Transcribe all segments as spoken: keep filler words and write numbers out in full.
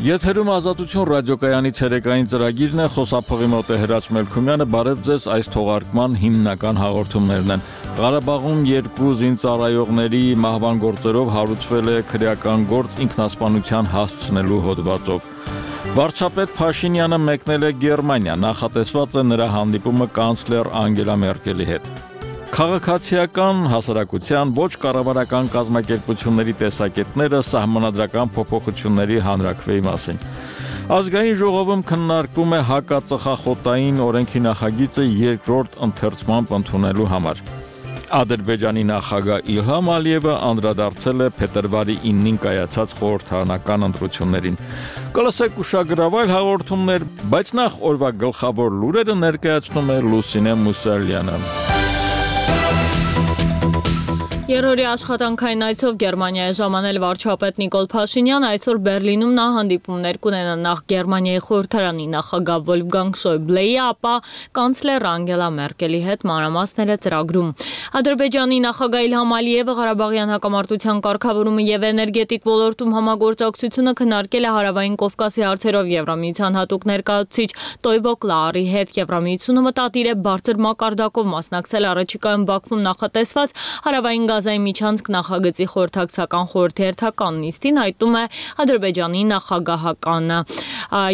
Եթերում Ազատություն ռադիոկայանի ցերեկային ծրագիրն է, խոսափողի մոտ է Հրաչ Մելքումյանը, բարև ձեզ, այս թողարկման հիմնական հաղորդումներն են։ Ղարաբաղում երկու զինծառայողների մահվան գործերով հարուցվել է քրեական գործ ինքնասպանության հասցնելու հոդվածով։ Վարչապետ Փաշինյանը մեկնել է Գերմանիա, նախատեսված է նրա հանդիպումը կանցլեր Անգելա Մերկելի հետ։ Քաղաքացիական հասարակության ոչ կառավարական կազմակերպությունների տեսակետները սահմանադրական փոփոխությունների հանրաքվեի մասին։ Ազգային ժողովում քննարկվում է հակածխախոտային օրենքի նախագիծը երկրորդ ընթերցմամբ ընդունելու համար։ Ադրբեջանի նախագահ Իլհամ Ալիևը անդրադարձել է փետրվարի իննին կայացած խորհրդարանական ընտրություններին։ Կլսեք ուշագրավայր հաղորդումներ, բայց նախ օրվա գլխավոր լուրերը ներկայացնում է Լուսինե Մուսալյանը։ Երրորդի աշխատանքային այցով Գերմանիայի ժամանել վարչապետ Նիկոլ Փաշինյանը այսօր Բերլինում նա հանդիպումներ կունենա նախ Գերմանիայի խորհրդարանի նախագահ Վոլֆգանգ Շոյբլեի, ապա կանցլեր Անգելա Մերկելի հետ, մանրամասները ծրագրում։ Ադրբեջանի նախագահ Իլհամ Ալիևը Ղարաբաղյան հակամարտության կարգավորումը եւ էներգետիկ ոլորտում համագործակցությունը քննարկել է Հարավային Կովկասի հարցերով Եվրամիության հատուկ ներկայացուցիչ Տոյվո Կլարի հետ։ Եվրամիությունը մտադիր է բարձր մակարդակով մասնակցել առաջիկայում Բաքվում նախատեսված Հարավային Գազայի միջանցք նախագծի խորհրդակցական խորհրդի հերթական նիստին, հայտնում է Ադրբեջանի նախագահականը։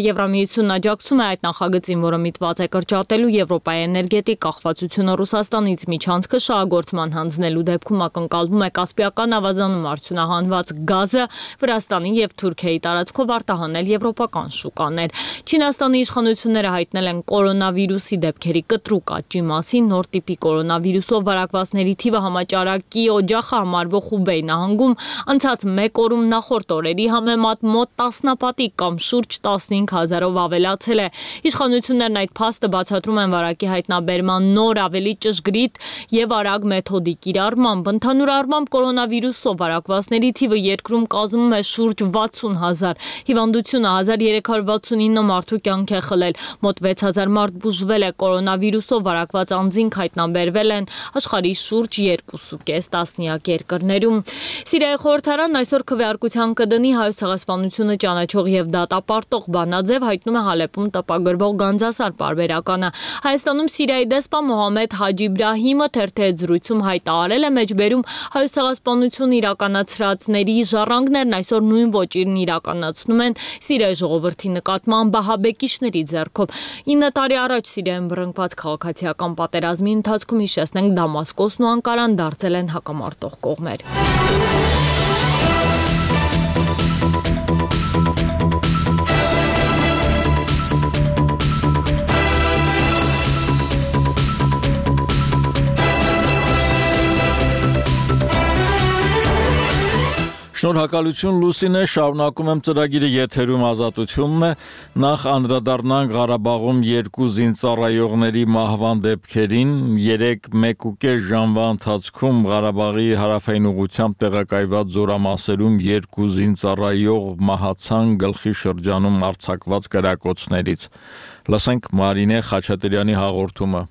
Եվրամիությունն աջակցում է այդ նախագծին, որը միտված է կրճատելու Եվրոպայի էներգետիկ կախվածությունը Ռուսաստանից, միջանցքը շահագործման հանձնելու դեպքում ակնկալվում է Կասպիական ավազանում արդյունահանված գազը Վրաստանի եւ Թուրքիայի տարածքով արտահանել եվրոպական շուկաներ։ Չինաստանի իշխանությունները հայտնել են կորոնավիրուսի դեպքերի կտրուկ աճի մասին, նոր տիպի կորոնավիրուսով վարակվածների թիվը համաճարակի օջախը համարվող Խուբեյ նահանգում անցած մեկ օրում նախորդ օրերի համեմատ մոտ տասնապատիկ կամ շուրջ տասնհինգ հազարով ավելացել է։ Իշխանություններն այդ փաստը բացատրում են վարակի հայտնաբերման նոր ավելի ճշգրիտ եւ արագ մեթոդի կիրառմամբ։ Ընդհանուր առմամբ կորոնավիրուսով վարակվածների թիվը երկրում կազմում է շուրջ վաթսուն հազար։ Հիվանդությունը հազար երեք հարյուր վաթսունինը մարդու կյանք է խլել։ Մոտ վեց հազար մարդ բուժվել է, կորոնավիրուսով վարակված անձինք հայտնաբերվել են աշխարհի շուրջ երկու կես տասնյակ երկրներում։ Սիրիայի խորհրդարանն այսօր քվեարկության կդնի Հայոց ցեղասպանությունը ճանաչող եւ դատապարտող բանաձև, հայտնում է Հալեպում տպագրվող Գանձասար պարբերականը։ Հայաստանում Սիրիայի դեսպան Մոհամմեդ Հաջի Իբրահիմը թերթի հետ զրույցում հայտարարել է մեջբերում Հայոց ցեղասպանությունը իրականացրածների ժառանգներն այսօր նույն ոճիրն իրականացնում են Սիրիայի ժողովրդի նկատմամբ ահաբեկիչների ձեռքով։ ինը տարի առաջ Սիրիայում բռնկված քաղաքացիական պատերազմի ընթացքում, հիշեցնենք, Դամասկոսն ու Անկարան դարձել են հակամարտող կողմեր։ Շնորհակալություն Լուսինե, շարունակում եմ ծրագիրը, եթերում Ազատությունն է։ Նախ անդրադառնանք Ղարաբաղում երկու զինծառայողների մահվան դեպքերին։ Երեք մեկ ու կես ժամվա ընթացքում Ղարաբաղի հարավային ուղղությամբ տեղակայված զորամասերում երկու զինծառայող մահացան գլխի շրջանում արձակված կրակոցներից։ Լսենք Մարինե Խաչատրյանի հաղորդումը։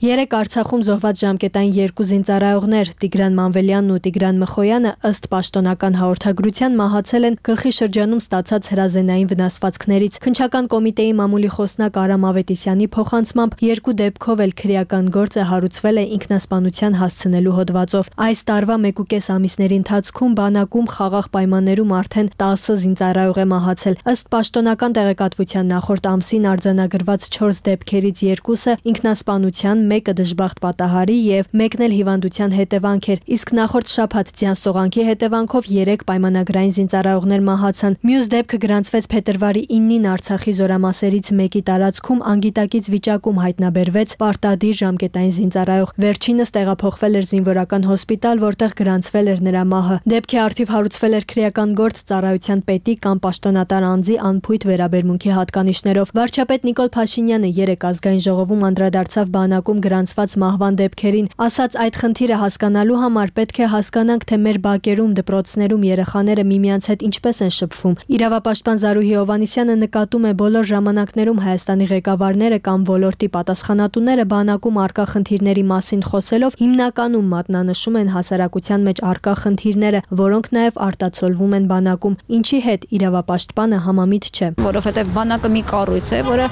Երեք Արցախում զոհված ժամկետային երկու զինծառայողներ Տիգրան Մանվելյանն ու Տիգրան Մխոյանը ըստ պաշտոնական հաղորդագրության մահացել են գլխի շրջանում ստացած հրազենային վնասվածքներից։ Քննչական կոմիտեի մամուլի խոսնակ Արամ Ավետիսյանի փոխանցմամբ երկու դեպքով էլ քրեական գործը հարուցվել է ինքնասպանության հասցնելու հոդվածով։ Այս տարվա մեկ ու կես ամիսների ընթացքում բանակում խաղաղ պայմաններում արդեն տասը զինծառայող է մահացել։ Ըստ պաշտոնական տեղեկատվության նախորդ ամսին արձանագրված չորս դեպքերից երկուսը ինքնասպանության, մեկը դժբախտ պատահարի եւ մեկն էլ հիվանդության հետևանք էր, իսկ նախորդ շաբաթ ձյան սողանքի հետևանքով երեք պայմանագրային զինծառայողներ մահացան։ Մյուս դեպքը գրանցվեց փետրվարի իննին Արցախի զորամասերից մեկի տարածքում անգիտակից վիճակում հայտնաբերվեց պարտադիր ժամկետային զինծառայող։ Վերջինս տեղափոխվել էր զինվորական հոսպիտալ, որտեղ գրանցվել էր նրա մահը։ Դեպքի առթիվ հարուցվել էր քրեական գործ ծառայության պետի կամ պաշտոնատար անձի անփույթ վերաբերմունքի հատկանիշներով։ Վարչապետ Նիկոլ Փաշինյանը երեք ազգային ժողովում անդրադարձավ բանակում գրանցված մահվան դեպքերին։ Ասաց այդ խնդիրը հասկանալու համար պետք է հասկանանք, թե մեր բակերում, դպրոցներում երեխաները միմյանց հետ ինչպես են շփվում։ Իրավապաշտպան Զարուհի Հովհաննիսյանը նկատում է բոլոր ժամանակներում Հայաստանի ղեկավարները կամ ոլորտի պատասխանատուները բանակում առկա խնդիրների մասին խոսելով հիմնականում մատնանշում են հասարակության մեջ առկա խնդիրները, որոնք նաև արտացոլվում են բանակում, ինչի հետ իրավապաշտպանը համամիտ չէ։ Որովհետև բանակը մի կառույց է, որը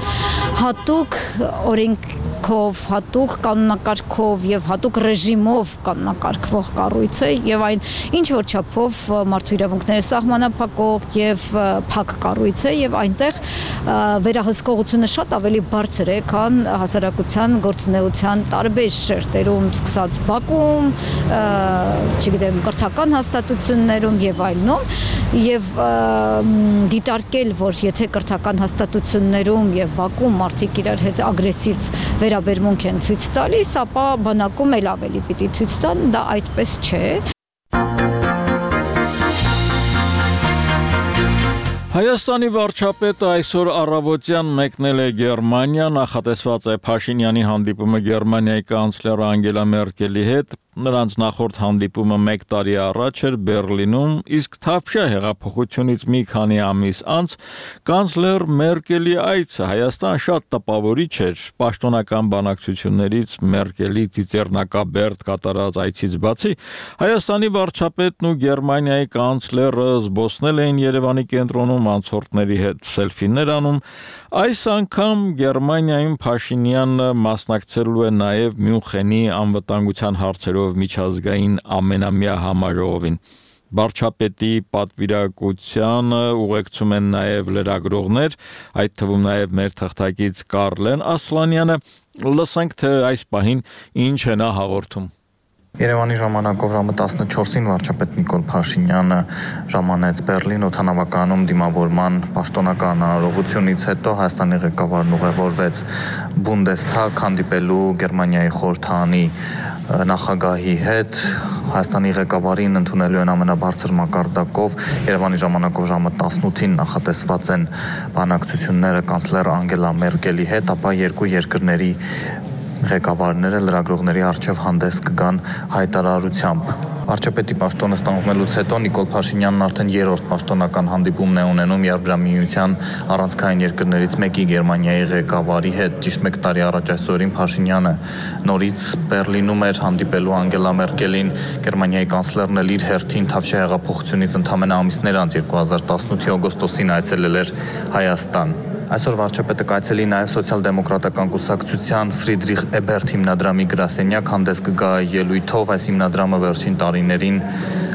հատուկ օրենքով, հատուկ կանոնակարգով եւ հատուկ ռեժիմով կանոնակարգվող կառույց է եւ այն ինչ որ չափով մարդու իրավունքները սահմանափակող եւ փակ կառույց է եւ այնտեղ վերահսկողությունը շատ ավելի բարձր է, քան հասարակության գործունեության տարբեր շերտերում, սկսած բակում, չգիտեմ, կրթական հաստատություններում եւ այլնում, եւ դիտարկել, որ եթե կրթական հաստատություններում եւ բակում մարդիկ իրար հետ ագրեսիվ վերաբերմունք են ցույց տալիս, ապա բանակում էլ ավելի պիտի ցույց տան, դա այդպես չէ։ Հայաստանի վարչապետը այսօր առավոտյան մեկնել է Գերմանիա, նախատեսված է Փաշինյանի հանդիպումը Գերմանիայի կանցլեր Անգելա Մերկելի հետ, նրանց նախորդ հանդիպումը մեկ տարի առաջ էր Բերլինում, իսկ Թավշյա հեղափոխությունից մի քանի ամիս անց կանցլեր Մերկելի այցը Հայաստան շատ տպավորիչ էր, պաշտոնական բանակցություններից Մերկելի ծիծեռնակաբերդ կատարած այցից բացի, Հայաստանի վարչապետն ու Գերմանիայի կանցլերը զբոսնել էին Երևանի կենտրոնում անցորդների հետ սելֆիներ անում, այս անգամ Գերմանիայում Փաշինյանը մասնակցելու է նաև Մյունխենի անվտանգության հարցերով միջազգային ամենամյա համաժողովին։ Վարչապետի պատվիրակությանը ուղեկցում են նաև լրագրողներ, այդ թվում նաև մեր թղթակից Կարլեն Ասլանյանը, լսենք թե այս պահին ինչ է նա հաղորդում։ Երևանի ժամանակով ժամը տասնչորսին վարչապետ Նիկոլ Փաշինյանը ժամանեց Բերլին օդանավականում դիմավորման պաշտոնական արարողությունից հետո Հայաստանի ղեկավարն ուղևորվեց Բունդեսթագ հանդիպելու Գերմանիայի խորհրդարանի նախագահի հետ։ Հայաստանի ղեկավարին ընդունելու են ամենաբարձր մակարդակով Երևանի ժամանակով ժամը տասնութին նախատեսված են բանակցությունները կանցլեր Անգելա Մերկելի հետ, ապա երկու երկրների ղեկավարները լրագրողների առջև հանդես կգան հայտարարությամբ։ Վարչապետի պաշտոնը ստանձնելուց հետո Նիկոլ Փաշինյանն արդեն երրորդ պաշտոնական հանդիպումն է ունենում Եվրամիության առանցքային երկրներից մեկի Գերմանիայի ղեկավարի հետ։ Ճիշտ մեկ տարի առաջ այսօրին Փաշինյանը նորից Բերլինում էր հանդիպելու Անգելա Մերկելին, Գերմանիայի կանցլերն էլ իր հերթին Թավշյա հեղափոխությունից ընդամենը ամիսներ անց երկու հազար տասնութի օգոստոսին այցելել էր Հայաստան։ Այսօր վարչապետը կայցելի նաև սոցիալ-դեմոկրատական կուսակցության Ֆրիդրիխ Էբերտ հիմնադրամի գրասենյակ, հանդես կգա ելույթով, այս հիմնադրամը վերջին տարիներին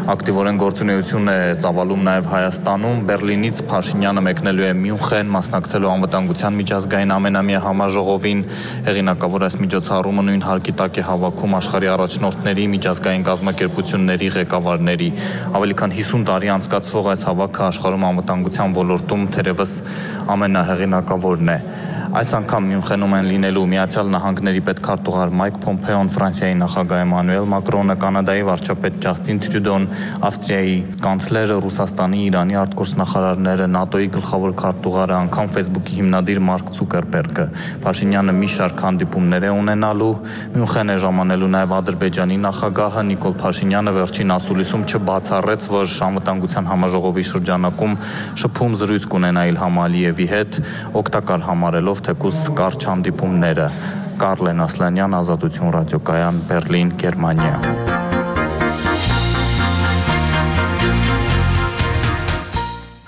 ակտիվորեն գործունեություն է ծավալում նաև Հայաստանում։ Բերլինից Փաշինյանը մեկնելու է Մյունխեն, մասնակցելու անվտանգության միջազգային ամենամյա համաժողովին։ Հեղինակավոր այս միջոցառումը նույն հարկի տակ է հավաքում աշխարհի առաջնորդների, միջազգային կազմակերպությունների ղեկավարների։ Ավելի քան հիսուն տարի անցկացվող այս հավաքը աշխարհում անվտանգության ոլորտում թերևս ամենահեղինակավորն է։ Այս անգամ Մյունխենում են լինելու Միացյալ Նահանգների պետքարտուղար Մայք Փոմփեոն, Ֆրանսիայի նախագահ Էմանուել Մակրոնը, Կանադայի վարչապետ Ջաստին Տրյուդոն, Ավստրիայի կանցլերը, Ռուսաստանի, Իրանի արտգործնախարարները, ՆԱՏՕ-ի գլխավոր քարտուղարը, անգամ Facebook-ի հիմնադիր Մարկ Ցուկերբերգը։ Փաշինյանը մի շարք հանդիպումներ է ունենալու, Մյունխեն է ժամանելու նաև Ադրբեջանի նախագահը Նիկոլ Փաշինյանը վերջին ասուլիսում չբացառեց, որ անվտանգության համաժողովի շրջանակում շփում զրույց կունենա Իլհամ Ալիևի հետ, օգտակար համարելով թեկուզ կարճ հանդիպումները։ Կարլեն Ասլանյան, Ազատություն ռադիոկայան, Բերլին, Գերմանիա։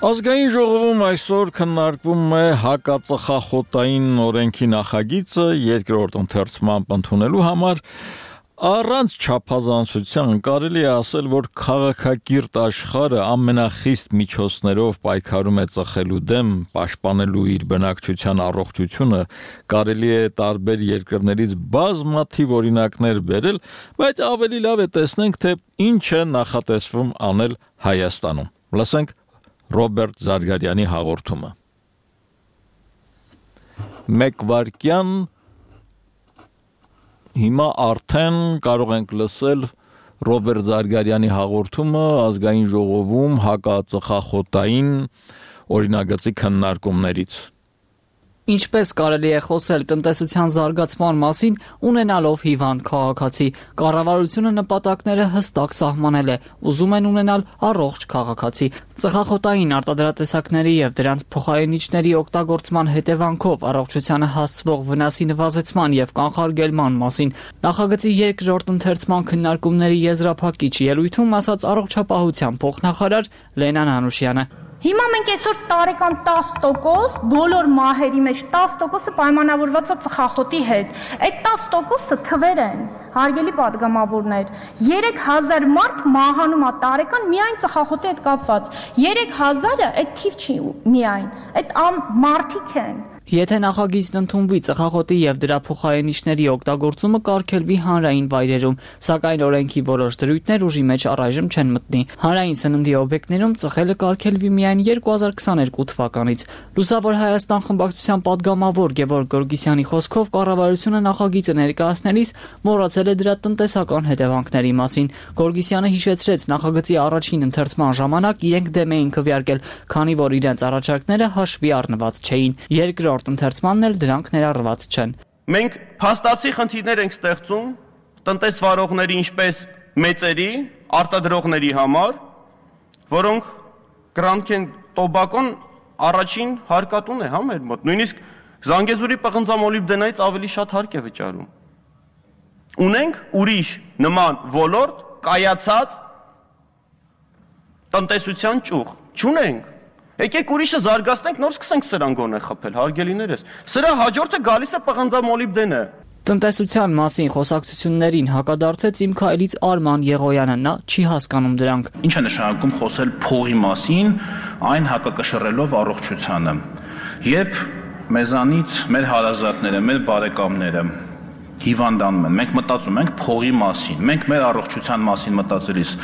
Ազգային ժողովում այսօր քննարկվում է հակածխախոտային օրենքի նախագիծը երկրորդ ընթերցմամբ ընդունելու համար։ Առանց չափազանցության կարելի է ասել, որ քաղաքակիրթ աշխարհը ամենախիստ միջոցներով պայքարում է ծխելու դեմ, պաշտպանելու իր բնակչության առողջությունը, կարելի է տարբեր երկրներից բազմաթիվ օրինակներ բերել, բայց ավելի լավ է տեսնենք, թե ինչ է նախատեսվում անել Հայաստանում։ Լսենք Ռոբերտ Զարգարյանի հաղորդումը։ Մեկ վայրկյան Հիմա արդեն կարող ենք լսել Ռոբերտ Զարգարյանի հաղորդումը ազգային ժողովում հակածխախոտային օրինագծի քննարկումներից։ Ինչպես կարելի է խոսել տնտեսության զարգացման մասին, ունենալով հիվանդ քաղաքացի, կառավարությունը նպատակները հստակ սահմանել է, ուզում են ունենալ առողջ քաղաքացի։ Ծխախոտային արտադրատեսակների եւ դրանց փոխարինիչների օգտագործման հետևանքով առողջությանը հասցվող վնասի նվազեցման եւ կանխարգելման մասին նախագծի երկրորդ ընթերցման քննարկումների եզրափակիչ ելույթում ասաց առողջապահության փոխնախարար Լենան Անուշյանը։ Հիմա մենք այսօր տարեկան տասը տոկոս բոլոր մահերի մեջ տասը տոկոսը պայմանավորված է ծխախոտի հետ։ Այդ տասը տոկոսը թվեր են, հարգելի պատգամավորներ։ երեք հազար մարդ մահանում է տարեկան միայն ծխախոտի հետ կապված։ երեք հազարը այդ թիվ չի միայն, այդ մարդիկ են։ Եթե նախագիծն ընդունվի, ծխախոտի եւ դրա փոխարինիչների օգտագործումը կարգելվի հանրային վայրերում, սակայն օրենքի որոշ դրույթներ ուժի մեջ առայժմ չեն մտնի։ Հանրային սննդի օբյեկտներում ծխելը կարգելվի միայն երկու հազար քսաներկու թվականից։ Լուսավոր Հայաստան խմբակցության падգամավոր Գևորգ Գորգիսյանի խոսքով կառավարությունը նախագիծը ներկայացնելիս մոռացել է դրա տնտեսական հետևանքների մասին։ Գորգիսյանը հիշեցրեց նախագծի առաջին ընթերցման ժամանակ իրենք դեմ էին քվեարկել, քանի որ իրենց առաջարկները հաշվի առնված չէին։ Երկրորդ ընթերցմանն էլ դրանք ներառված չեն։ Մենք փաստացի խնդիրներ ենք ստեղծում տնտեսվարողների, ինչպես մեծերի, արտադրողների համար, որոնք գրանք են տոբակոն առաջին հարկատուն է, հա, մեր մոտ։ Նույնիսկ Զանգեզուրի պղնձամոլիբդենայից ավելի շատ հարկ է վճարում։ Ունենք ուրիշ նման ոլորտ կայացած տնտեսության ճյուղ, չունենք։ Եկեք ուրիշը զարգացնենք, նոր սկսենք սրան գոնե խփել, հարգելիներս։ Սրա հաջորդը գալիս է պղնձամոլիբդենը։ Տնտեսության մասին խոսակցություններին հակադարձեց իմ քայլից Արման Եղոյանը, նա չի հասկանում դրանք։ Ինչ է նշանակում խոսել փողի մասին, այն հակակշռելով առողջությանը։ Երբ մեզանից մեր հարազատները, մեր բարեկամները հիվանդանում են, մենք մտածում ենք փողի մասին, մենք մեր առողջության մասին մտածելիս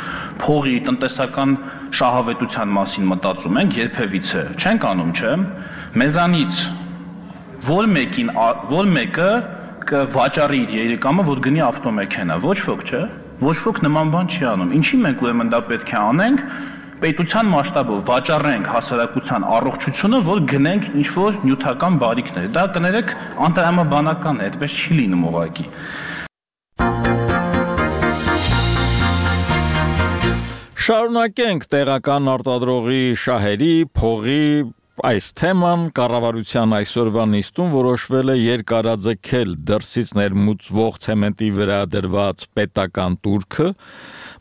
փողի տնտեսական շահավետության մասին մտածում ենք երբևիցե, չենք անում, չէ՞։ Մեզանից որ մեկին, որ մեկը կվաճառի իր երիկամը, որ գնի ավտոմեքենա, ոչ ոք, չէ՞։ Ոչ ոք նման բան չի անում։ Ինչի մենք ուրեմն դա պետք է անենք, պետության մասշտաբով վաճառենք հասարակության առողջությունը, որ գնենք ինչ-որ նյութական բարիքներ։ Դա կներեք անտրամաբանական է, այդպես չի լինում ուղղակի։ Շարունակենք տեղական արտադրողի շահերի, փողի այս թեման կառավարության այսօրվա նիստում որոշվել է երկարաձգել դրսից ներմուծվող ցեմենտի վրա դրված պետական տուրքը։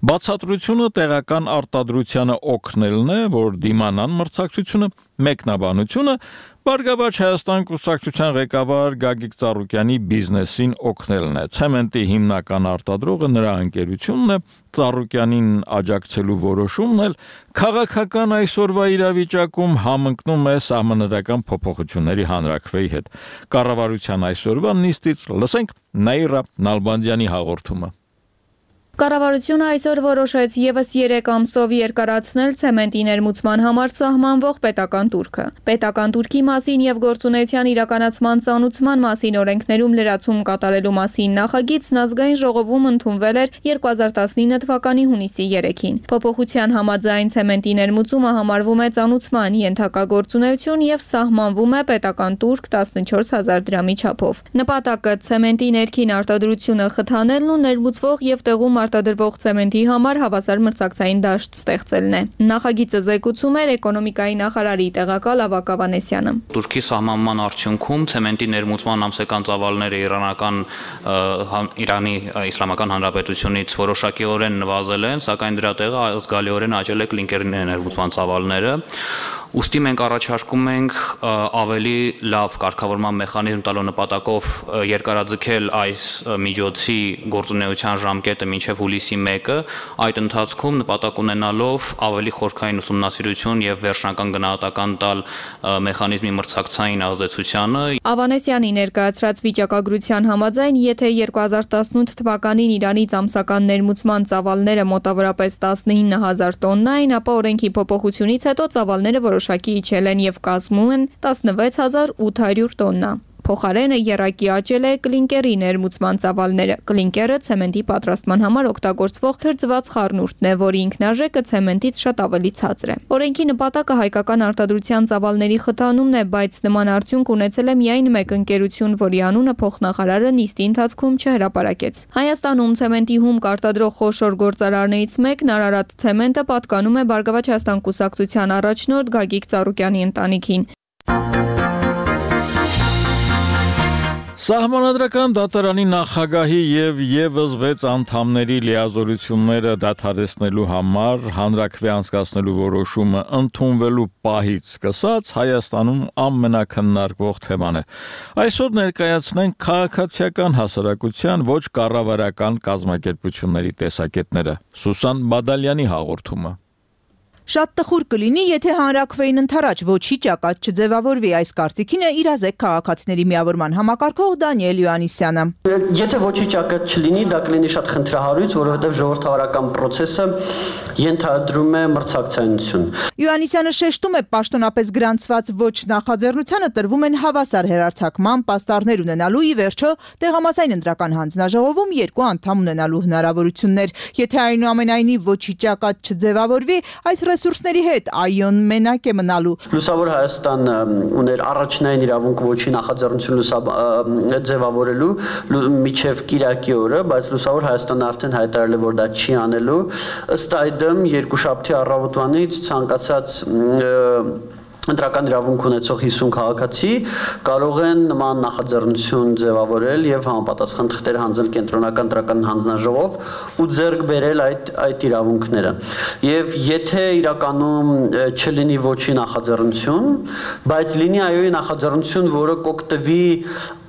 Բացատրությունը տեղական արտադրությանը օգնելն է, որ դիմանան մրցակցությունը, մեկնաբանությունը Բարգավաճ Հայաստան կուսակցության ղեկավար Գագիկ Ծառուկյանի բիզնեսին օգնելն է։ Ցեմենտի հիմնական արտադրողը նրա ընկերությունն է, Ծառուկյանին աջակցելու որոշումն էլ քաղաքական այսօրվա իրավիճակում համընկնում է սահմանադրական փոփոխությունների հանրաքվեի հետ։ Կառավարության այսօրվա նիստից լսենք Նաիրա Նալբանդյանի հաղորդումը։ Կառավարությունը այսօր որոշեց ևս երեք ամսով երկարացնել ցեմենտի ներմուծման համար սահմանվող պետական տուրքը։ Պետական տուրքի մասին եւ գործունեության իրականացման ծանուցման մասին օրենքներում լրացում կատարելու մասին նախագիծն ազգային ժողովում ընդունվել էր երկու հազար տասնինը թվականի հունիսի երեքին։ Փոփոխության համաձայն ցեմենտի ներմուծումը համարվում է ծանուցման ենթակա գործունեություն եւ սահմանվում է պետական տուրք տասնչորս հազար դրամի չափով։ Նպատակը ցեմենտի ներքին արտադրությունը խթանելն ու ներմուծվող եւ տեղում արտադրվող ցեմենտի համար հավասար մրցակցային դաշտ ստեղծելն է։ Նախագիծը զեկուցում էր էկոնոմիկայի նախարարի տեղակալ Ավագ Ավանեսյանը։ Տուրքի սահմանման արդյունքում ցեմենտի ներմուծման ամսական ծավալները իրանական Իրանի Իսլամական Հանրապետությունից որոշակիորեն նվազել են, սակայն դրա տեղը զգալիորեն աճել է կլինկերի ներմուծման ծավալները։ Ուստի մենք առաջարկում ենք ավելի լավ կարգավորման մեխանիզմ տալու նպատակով երկարաձգել այս միջոցի գործունեության ժամկետը մինչև հուլիսի մեկը, այդ ընթացքում նպատակ ունենալով ավելի խորքային ուսումնասիրություն եւ վերջնական գնահատական տալ մեխանիզմի մրցակցային ազդեցությանը։ Ավանեսյանի ներկայացրած վիճակագրության համաձայն, եթե երկու հազար տասնութ թվականին Իրանից ամսական ներմուծման ծավալները մոտավորապես տասնինը հազար տոննա էին, ապա օրենքի փոփոխությունից հետո ծավալները որոշակի իջել են եւ կազմում են տասնվեց հազար ութ հարյուր տոննա։ Փոխարենը եռակի աճել է կլինկերի ներմուծման ծավալները։ Կլինկերը ցեմենտի պատրաստման համար օգտագործվող թրջված խառնուրդն է, որի ինքնարժեքը ցեմենտից շատ ավելի ցածր է։ Օրենքի նպատակը հայկական արտադրության ծավալների խթանումն է, բայց նման արդյունք ունեցել է միայն մեկ ընկերություն, որի անունը փոխնախարարը նիստի ընթացքում չհրապարակեց։ Հայաստանում ցեմենտի հումք արտադրող խոշոր գործարարներից մեկն Արարատ ցեմենտը պատկանում է Բարգավաճ Հայաստան կուսակցության առաջնորդ Գագիկ Ծառուկյանի ընտանիքին։ Սահմանադրական դատարանի նախագահի եւ եւս վեց անդամների լիազորությունները դադարեցնելու համար հանրաքվե անցկացնելու որոշումը ընդունվելու պահից սկսած Հայաստանում ամենակննարկվող թեման է։ Այսօր ներկայացնենք քաղաքացիական հասարակության ոչ կառավարական կազմակերպությունների տեսակետները։ Սուսան Բադալյանի հաղորդումը։ Շատ տխուր կլինի, եթե հանրաքվեին ընդառաջ ոչի ճակատ չձևավորվի, այս կարծիքին է իրազեկ քաղաքացիների միավորման համակարգող Դանիել Յոաննիսյանը։ Եթե ոչի ճակատ չլինի, դա կլինի շատ խնդրահարույց, որովհետև ժողովրդավարական process-ը ենթադրում է մրցակցայնություն։ Յոաննիսյանը շեշտում է, պաշտոնապես գրանցված ոչ նախաձեռնությանը տրվում են հավասար հեռարձակման պաստառներ ունենալու ի վերջո տեղամասային ընտրական հանձնաժողովում երկու անդամ ունենալու հնարավորություններ։ Եթե այնուամենայնիվ ոչի ճակատ չձևավորվի, այս ռեսուրսների հետ այոն մենակ է մնալու։ Լուսավոր Հայաստանը ուներ առաջնային իրավունք ոչի նախաձեռնություն ձևավորելու միջև կիրակի օրը, բայց Լուսավոր Հայաստանը արդեն հայտարարել է, որ դա չի անելու։ Ըստ այդմ երկուշաբթի առավոտվանից ցանկացած ընտրական իրավունք ունեցող հիսուն քաղաքացի կարող են նման նախաձեռնություն ձևավորել եւ համապատասխան թղթեր հանձնել կենտրոնական ընտրական հանձնաժողով ու ձեռք բերել այդ այդ իրավունքները։ Եվ եթե իրականում չլինի ոչի նախաձեռնություն, բայց լինի այոյի նախաձեռնություն, որը կօգտվի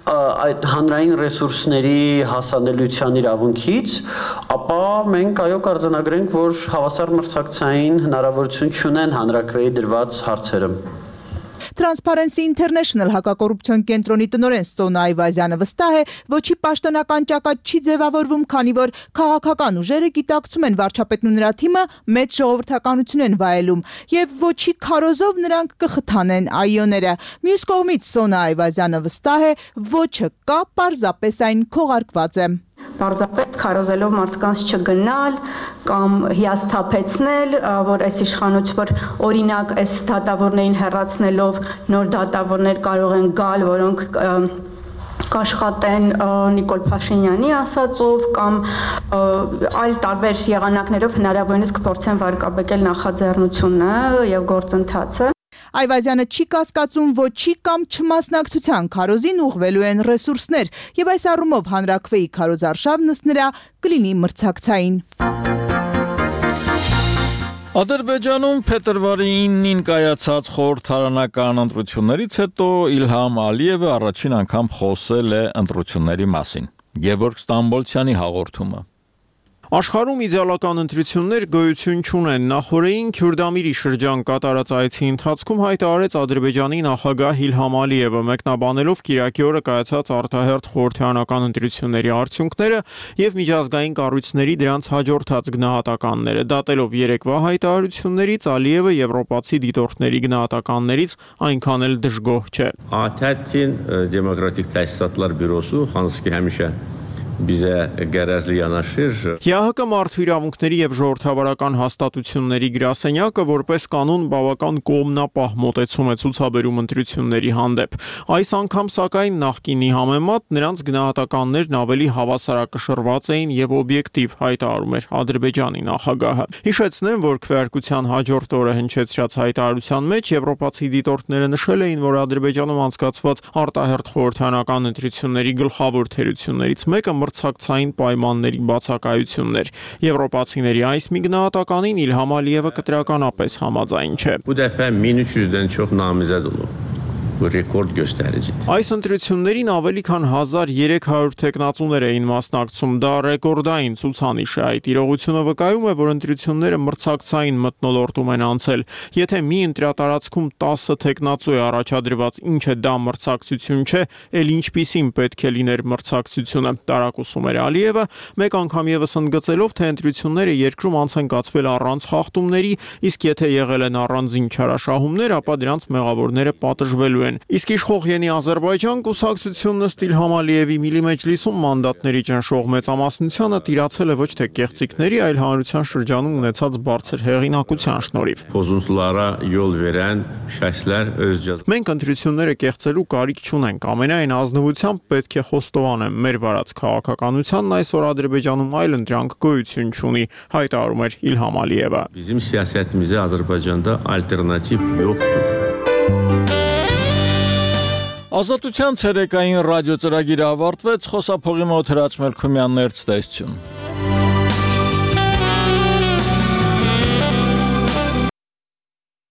այդ հանրային ռեսուրսների հասանելիության իրավունքից, ապա մենք այո կարձանագրենք, որ հավասար մրցակցային հնարավորություն չունեն հանրաքվեի դրված հարցերը։ Transparency International հակակոռուպցիոն կենտրոնի տնօրեն Ստոնա Այվազյանը վստահ է, ոչի պաշտոնական ճակատ չի ձևավորվում, քանի որ քաղաքական ուժերը գիտակցում են վարչապետն ու նրա թիմը մեծ ժողովրդականություն են վայելում եւ ոչի քարոզով նրանք կխթանեն այոները։ Մյուս կողմից Ստոնա Այվազյանը վստահ է, ոչը կա, պարզապես այն քողարկված է։ Պարզապես քարոզելով մարդկանց չգնալ կամ հիասթափեցնել, որ այս իշխանություն, որ օրինակ այս դատավորներին հեռացնելով նոր դատավորներ կարող են գալ, որոնք կաշխատեն Նիկոլ Փաշինյանի ասածով կամ այլ տարբեր եղանակներով հնարավորինս կփորձեն վարկաբեկել նախաձեռնությունը եւ գործընթացը։ Այվազյանը չի կասկածում ոչի կամ չմասնակցության քարոզին ուղղվելու են ռեսուրսներ եւ այս առումով հանրաքվեի քարոզարշավն ըստ նրա կլինի մրցակցային։ Ադրբեջանում փետրվարի իննին կայացած խորհրդարանական ընտրություններից հետո Իլհամ Ալիևը առաջին անգամ խոսել է ընտրությունների մասին։ Գևորգ Ստամբոլցյանի հաղորդումը։ Աշխարհում իդեալական ընտրություններ գոյություն չունեն։ Նախորդին Քյուրդամիրի շրջան կատարած այցի ընթացքում հայտարարեց Ադրբեջանի նախագահ Իլհամ Ալիևը, մեկնաբանելով կիրակի օրը կայացած արտահերթ խորհրդարանական ընտրությունների արդյունքները եւ միջազգային կառույցների դրանց հաջորդած գնահատականները։ Դատելով երեկվա հայտարարություններից Ալիևը եվրոպացի դիտորդների գնահատականներից այնքան էլ դժգոհ չէ։ Աթաթին դեմոկրատիկ տեսատլար բյուրոսու հանսկի հեմիշե Bizə gərəzli yanaşır։ ՀՀԿ մարդու իրավունքների եւ ժողովրդավարական հաստատությունների գրասենյակը որպես կանոն բավական կողմնապահ մոտեցում է ցուցաբերում ընտրությունների հանդեպ։ Այս անգամ սակայն նախկինի համեմատ նրանց գնահատականներն ավելի հավասարակշռված էին եւ օբյեկտիվ, հայտարարում էր Ադրբեջանի նախագահը։ Հիշեցնեմ, որ քվեարկության հաջորդ օրը հնչեցրած հայտարարության մեջ եվրոպացի դիտորդները նշել էին, որ Ադրբեջանում անցկացված արտահերթ խորհրդարանական ընտրությունների գլխավոր թերություններից մեկը մրցակցային պայմանների բացակայություններ։ Եվրոպացիների այս մի գնահատականին Իլհամ Ալիևը կտրականապես համաձայն չէ։ Bu dəfə min üç yüzdən çox namizəd olub։ Ռեկորդ գոստարիչ։ Այս ընտրություններին ավելի քան հազար երեք հարյուր տեխնացուներ էին մասնակցում, դա ռեկորդային ցուցանիշ է։ Այդ իրողությունը վկայում է, որ ընտրությունները մրցակցային մթնոլորտում են անցել։ Եթե մի ընտրատարածքում տասը տեխնացու է առաջադրված, ինչը դա մրցակցություն չէ, ել ինչպիսին պետք է լիներ մրցակցությունը, տարակուսում էր Ալիևը, մեկ անգամ եւս ընդգծելով, թե ընտրությունները երկրում անց են կացվել առանց խախտումների, իսկ եթե եղել են առանձին չարաշահումներ, ապա դրանց մեղավորները պատժվելու են։ Իսկ իշխող Յենի Ադրբեջան կուսակցությունն ըստ Իլհամ Ալիևի Միլի Մեջլիսում մանդատների ճնշող մեծամասնությունը տիրացել է ոչ թե կեղծիքների, այլ հանրության շրջանում ունեցած բարձր հեղինակության շնորհիվ։ Pozuntulara yol veren şəxslər öz Մենք ընտրությունները կեղծելու կարիք չունենք, ամենայն ազնվությամբ պետք է խոստովանեմ, մեր վարած քաղաքականությանն այսօր Ադրբեջանում այլ ընտրանք գոյություն չունի, հայտարարում էր Իլհամ Ալիևը։ Bizim siyasetimizde Azərbaycanda alternativ yoxdur. Ազատության ցերեկային ռադիո ծրագիրը ավարտվեց, խոսափողի մոտ Հրաչ Մելքումյանն էր ցտեսություն։